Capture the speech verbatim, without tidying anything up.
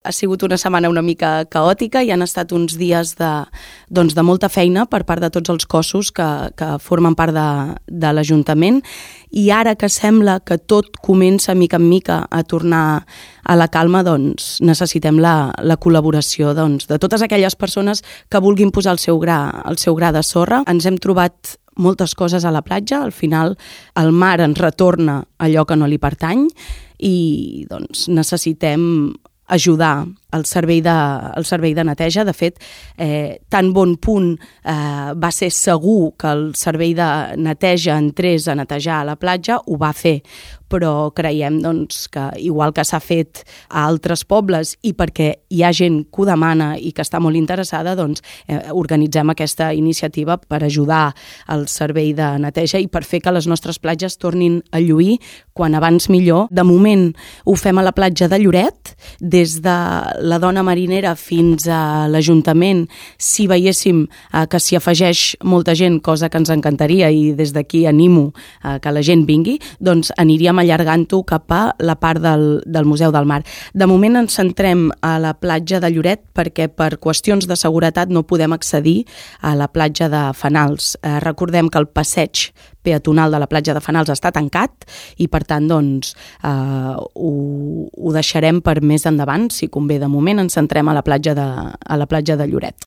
Ha sigut una setmana una mica caòtica i han estat uns dies de, doncs de molta feina per part de tots els cossos que, que formen part de, de l'Ajuntament, i ara que sembla que tot comença mica en mica a tornar a la calma, doncs necessitem la, la col·laboració doncs, de totes aquelles persones que vulguin posar el seu gra, el seu gra de sorra. Ens hem trobat moltes coses a la platja, al final el mar ens retorna allò que no li pertany i doncs necessitem ajudar el servei de, el servei de neteja. De fet, eh, tan bon punt eh, va ser segur que el servei de neteja entrés a netejar a la platja, ho va fer, però creiem doncs, que igual que s'ha fet a altres pobles i perquè hi ha gent que ho demana i que està molt interessada, doncs eh, organitzem aquesta iniciativa per ajudar al servei de neteja i per fer que les nostres platges tornin a lluir quan abans millor. De moment ho fem a la platja de Lloret, des de la Dona Marinera fins a l'Ajuntament. Si veiéssim eh, que s'hi afegeix molta gent, cosa que ens encantaria i des d'aquí animo eh, que la gent vingui, doncs aniríem allargant-ho cap a la part del, del Museu del Mar. De moment ens centrem a la platja de Lloret perquè per qüestions de seguretat no podem accedir a la platja de Fenals. Eh, recordem que el passeig peatonal de la platja de Fenals està tancat i per tant doncs, eh, ho, ho deixarem per més endavant, si convé. De moment ens centrem a la platja de, a la platja de Lloret.